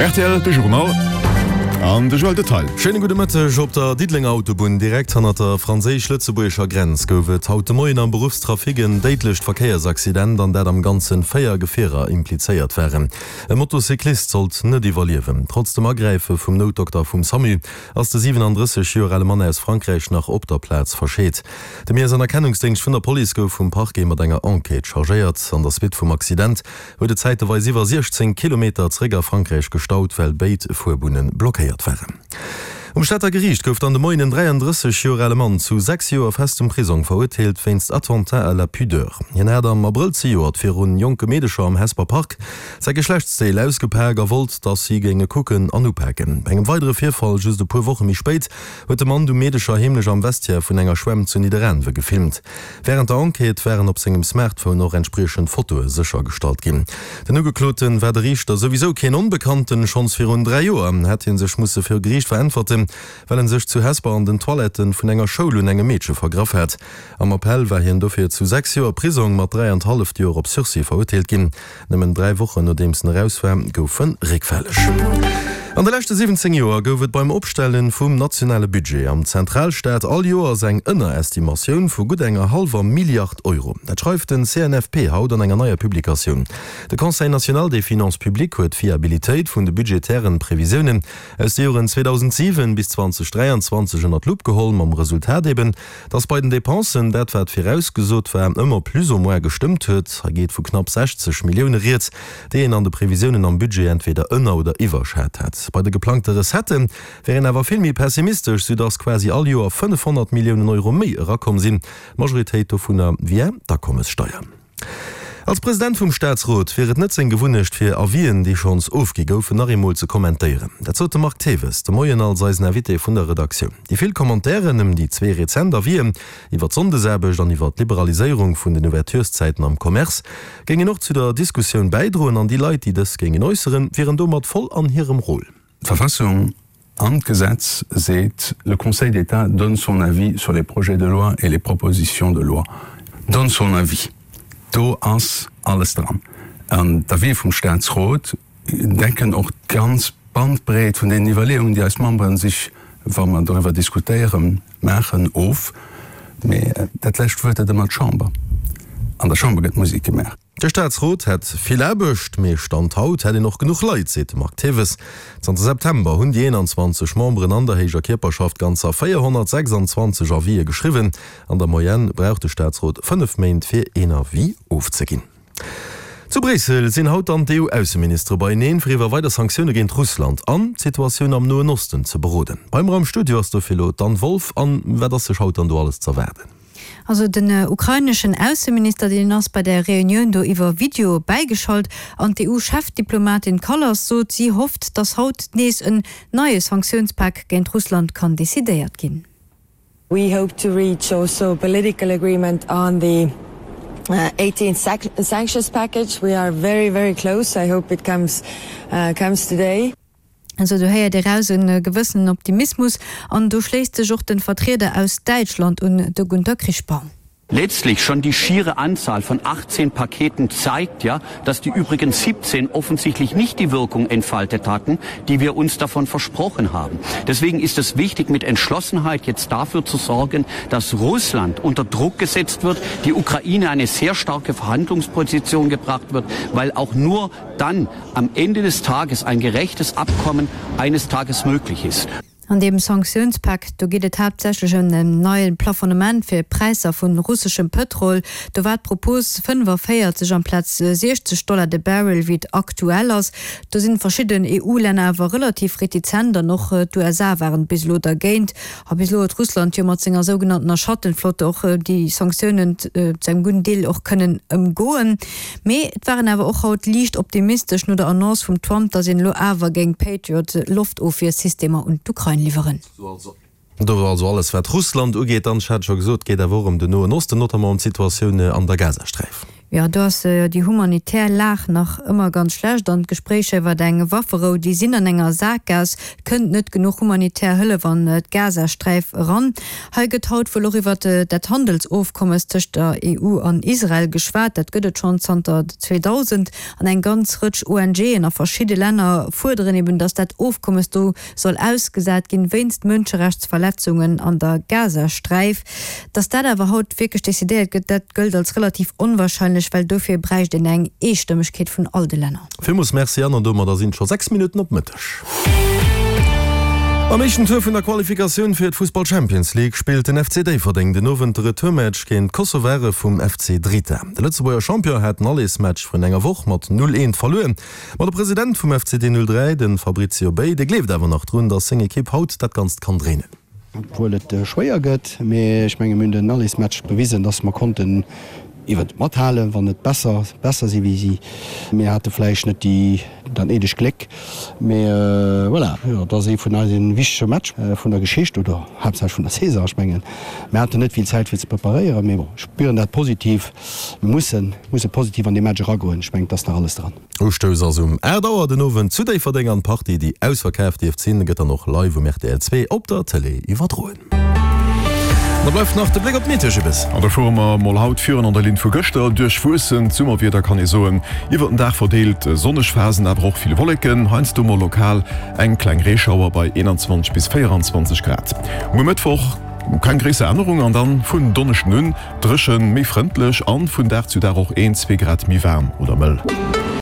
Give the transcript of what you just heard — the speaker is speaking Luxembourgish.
Rtl, de Journal an de Joël Detail. Schéine gudde Mëtteg. Op der Diddelenger Autobunn, direkt hannert der franséisch-lëtzebuergescher Grenz, gouf et haut de Moien am Beruffstrafic en déidlecht Verkéiersaccident, an dat am Ganzen 4 Gefierer implizéiert waren. E Motocyclist sollt net iwwerliewen. Trotz dem Agräife vum Noutdokter vum Samu ass de 37 Joer ale Mann aus Frankräich nach op der Plaz verscheet. De Miess an Erkennungsdéngscht vun der Police gouf vum Parquet mat enger Enquête chargéiert. An der Suite vum Accident huet et zäiteweis iwwer 16 Kilometer zeréck a Frankräich gestaut, well béid Fuerbunne blockéiert waren. Um Stater Geriicht gouf dann de Moien en 33 Joer ale Mann zu 6 Joer festem Prisong verurteelt wéinst Attentat à la pudeur. Hien hat am Abrëll zejoert virun jonke Meedecher am Hesper Park säi Geschlechtsdeel ausgepak a wollt, dass si géinge kucken an upaken. Bei engem weidere Virfall just e puer Woche méi spéit huet de Mann du Meedecher heemlech am Vestiaire vun enger Schwämm zu Nidderaanwe gefilmt. Wärend der Enquête waren op sengem Smartphone och entspriechend Fotoe séchergestallt ginn. Den Ugeklote war de Riichter souwisou keen Onbekannten. Schonns virun 3 Joer hätt hie sech musse viru Geriicht veräntwerten, well en sech zu Hesper an den Toiletten vun enger Schoul un engem Meedche vergraff hat. Am Appell war hien dofir zu 6 Joer Prisong mat 3 an d'halleft Joer op Sursis verurteelt ginn. Nëmmen 3 Wochen nodeems en eraus war, gouf en réckfälleg. An de leschte 17 Joer gouf et beim Opstelle vum nationale Budget am Zentralstaat all Joers eng Ënnerestimatioun vu gutt enger hallwer Milliard Euro. Dat schreift den CNFP haut an enger neier Publikatioun. De Conseil national des finances publiques huet d'Fiabilitéit vun de budgetären Previsiounen aus de Joren 2007 bis 2023 ënner d'Lupp geholl, mam Resultat eben, Dass bei den Dépensen dat wat virausgesot war ëmmer plus ou moins gestëmmt huet, hei geet vu knapp 60 Millioune rieds, déi een an de Previsiounen am Budget entweder ënner oder iwwerschat hat. Bei de geplangte Recettë wär een awer vill méi pessimistesch, soudass quasi all Joer 500 Milliounen Euro méi erakomm sinn, d'Majoritéit dovunner via d'Akommessteier. Als President vum Staatsrot wier et net seng Gewunnecht fir Avisen, déi schonns ofgi goufen, nach eemol ze kommentéieren. Dat sot de Marc Thewes de Moien als eisen Invité vun der Redaktioun. Déi vill Commentairen ëm déi zwee rezent Avisen iwwer d'Sonndesaarbecht an iwwer d'Liberaliséierung vun den Ouvertureszäiten am Commerce géingen och zu der Diskussioun bäidroen an déi Leit, déi dës géingen äusseren, wieren domat voll an hirem Rôle. D'Verfassung an d'Gesetz seet, Le Conseil d'État donne son avis sur les projets de loi et les propositions de loi. Donne son avis, do ass alles dran. An d'Avisë vum Statsrot decken och d'ganz Bandbreet vun deenen Iwwerleeungen, déi eis Membere sech, wa mer doriwwer diskutéieren, maachen, of. Mee dat lescht Wuert huet ëmmer d'Chamber. An der Chamber gëtt Musek gemaach. De Staatsrot hätt vill Aarbecht, mee Stand haut hätt een och genuch Leit, seet de Marc Thewes. Zanter September hunn déi 21 Memberen an der héijer Kierperschaft ganzer 426 Avisë geschriwwen. An der Moyenne brauch de Staatsrot 5 Méint fir een Avis ofzeginn. Zu Bréissel sinn haut dann d'EU-Ausseministere beieneen, fir iwwer weider Sanktioune géint Russland an d'Situatioun am Noen Osten ze beroden. Bei mer am Studio ass dofir elo d'Anne Wolff. Anne, wat ass sech haut dann do alles z'erwaarden? Also den ukraineschen Ausseminister, deen ass bei där Reunioun do iwwer Video bäigeschalt. An d'EU-Chefdiplomatin Kallas sot, si hofft, datt haut nees en neie Sanktiounspak géint Russland kann decidéiert ginn. We hope to reach also a political agreement on the eighteenth sanctions package. We are very, very close. I hope it comes comes today. Also do héiert ee raus e gewëssenen Optimismus an do schléisst sech och de Vertrieder aus Däitschland un, de Gunther Krichbaum. Letztlich schon die schiere Anzahl von 18 Paketen zeigt ja, dass die übrigen 17 offensichtlich nicht die Wirkung entfaltet hatten, die wir uns davon versprochen haben. Deswegen ist es wichtig, mit Entschlossenheit jetzt dafür zu sorgen, dass Russland unter Druck gesetzt wird, die Ukraine eine sehr starke Verhandlungsposition gebracht wird, weil auch nur dann am Ende des Tages ein gerechtes Abkommen eines Tages möglich ist. An deem Sanktiounspak, do geet et haaptsächlech ëm en neie Plafonnement fir Präisser vu russeschem Pëtrol. Do war d'Propos 45 amplaz 60 Dollar de Barrel, wéi et aktuell ass. Do sinn verschidden EU-Länner awer relativ retizent an och d'USA waren bis elo dergéint. A bis elo huet Russland jo mat senger sougenanntener Schattenflotte och déi Sanktiounen zu engem gudden Deel och kënnen ëmgoen. Mee et war een awer och haut liicht optimistesch no der Annonce vum Trump, datt een elo awer géing Patriot-Loftofwiersystemer un d'Ukrain liwweren. Do war also alles wat Russland ugeet. Dann, ech hat et scho gesot, geet awer och ëm den Noen Osten, notamment ëm d'Situatioun an der Gazasträif. Jo, do ass déi humanitär Lag nach ëmmer ganz schlecht an d'Gespréicher iwwer eng Wafferou, déi sinn an enger Sakgaass. Kënnt net genuch humanitär Hëllef an d'Gazasträif eran. Hei gëtt haut wuel och iwwer dat Handelsofkommes tëscht der EU an Israel geschwat. Dat gëtt et schonn zanter 2000 an eng ganz Rëtsch ONGen a verschidde Länner fuerderen eben, datt dat Ofkommes do soll ausgesat ginn, wéinst Mënscherechtsverletzungen an der Gazasträif. Datt dat awer haut wierklech decidéiert gëtt, dat gëllt als relativ onwahrscheinlech, well dofir bräicht een eng Eestëmmegkeet vun all de Länner. Villmools Merci Anne, an domadder sinn et scho 6 Minutten op Mëtteg. Am éischten Tour vun der Qualifikatioun fir d'Fussball-Champions League spillt den FC Déifferdeng den Owend de Retourmatch géint d'Kosovare vum FC Drita. De Lëtzebuerger Champion hat den Allersmatch vrun enger Woch mat 0, 1 verluer. Ma de President vum FCD 03, de Fabrizio Bei, dee gleeft awer nach drun, datt seng Ekipp haut dat Ganzt kann dréinen. Obwuel et schwéier gëtt, mee ech menge mir hunn den Allesmatch bewisen, datt mer konnten iwwer mathalen, wann net besser, besser si wéi si. Mir hate vläicht net déi dat néidegt Gléck, mee voilà, jo, et ass ee vun eise wichtege Match vun der Geschicht oder haaptsächlech vun der Saison. Ech mengen, mir haten net vill Zäit fir ze preparéieren, mee bon, ech spieren dat positiv. Mir mussen, musse positiv an dee Match eragoen. Ech mengen, et ass nach alles dran. Ustouss ass um 8 Auer den Owend zu Déifferdeng an d'Partie, déi ausverkaaft dierft sinn, gëtt dann och live um rtl 2 op der Tëlee iwwerdroen. An da bleift nach de Bléck op d'Meteo, Jibbes. An da fuere mer mol haut virun an der Linn vu gëschter. Duerchwuessent Summerwieder kann ee soen, iwwert den Dag verdeelt sonneg Phasen, awer och vill Wolleken, heiansdo mol lokal eng kleng Reeschauer bei 21 bis 24 Grad. Muer Mëttwoch keng gréisser Ännerung an dann vun Donneschden un Dréchen, méi frëndlech an vun Dag zu Dag och een, zwee Grad méi waarm oder mëll.